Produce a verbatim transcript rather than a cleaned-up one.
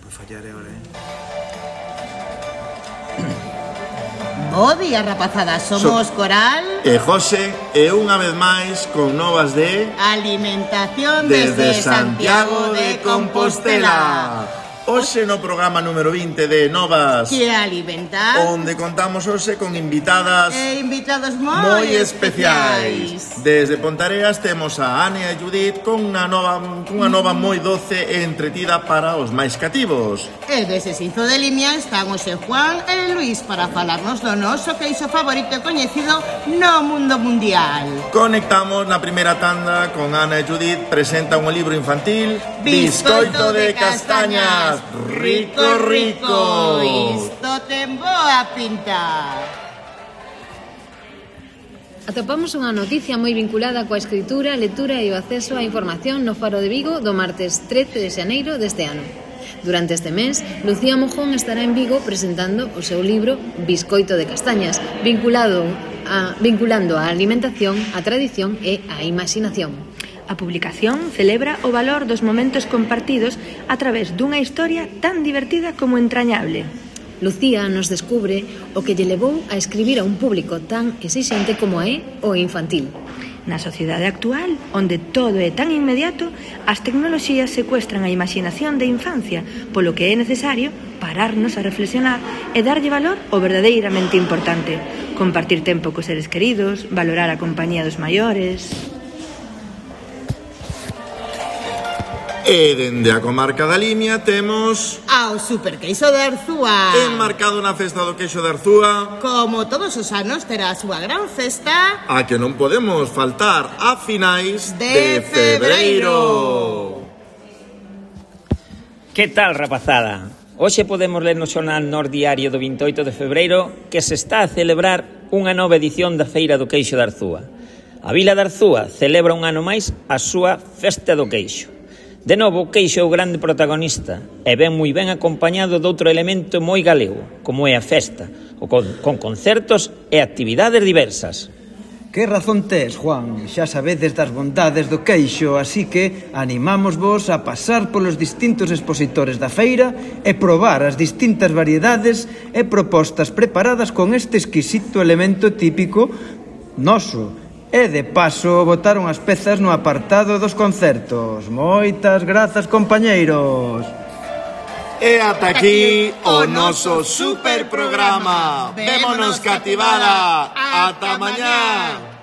Pois fallaré ahora, eh? Bo día, rapazada, somos So- Coral E José, e unha vez máis con novas de... Alimentación Desde desde Santiago de Compostela. Hoxe no programa número vinte de Novas, Que alimentar onde contamos hoxe con invitadas e invitados moi, moi especiais. Desde Pontareas temos a Ane e a Judith con unha nova, unha nova moi doce e entretida para os máis cativos. E dese Sinzo de Limia están hoxe Juan e Luís para falarnos do noso queixo favorito e coñecido no mundo mundial. Conectamos na primeira tanda con Ana e Judith, presentan un libro infantil, Biscoito de castañas, rico, rico. Isto ten boa pinta. Atopamos unha noticia moi vinculada coa escritura, lectura e o acceso á información no Faro de Vigo do martes trece de xaneiro deste ano. Durante este mes, Lucía Mojón estará en Vigo presentando o seu libro Biscoito de castañas, vinculado a, vinculando a alimentación, a tradición e a imaginación. A publicación celebra o valor dos momentos compartidos a través dunha historia tan divertida como entrañable. Lucía nos descubre o que lle levou a escribir a un público tan exixente como é o infantil. Na sociedade actual, onde todo é tan inmediato, as tecnoloxías secuestran a imaginación de infancia, polo que é necesario pararnos a reflexionar e darlle valor ao verdadeiramente importante. Compartir tempo cos seres queridos, valorar a compañía dos maiores... E dende a comarca da Limia temos... Ao superqueixo de Arzúa. Enmarcado na festa do queixo de Arzúa, Como todos os anos terá a súa gran festa a que non podemos faltar a finais De de febreiro. Que tal, rapazada? Hoxe podemos ler no xornal Nor Diario do vinte e oito de febreiro que se está a celebrar unha nova edición da Feira do Queixo de Arzúa. A vila de Arzúa celebra un ano máis a súa Festa do Queixo. De novo, o queixo é o grande protagonista e ven moi ben acompañado doutro elemento moi galego, como é a festa, o con, con concertos e actividades diversas. Que razón tes, Juan? Xa sabedes das bondades do queixo, así que animámosvos a pasar polos distintos expositores da feira e probar as distintas variedades e propostas preparadas con este exquisito elemento típico noso. E, de paso, botaron as pezas no apartado dos concertos. Moitas grazas, compañeiros. E ata aquí o noso super programa. Vémonos cativada. Ata mañá.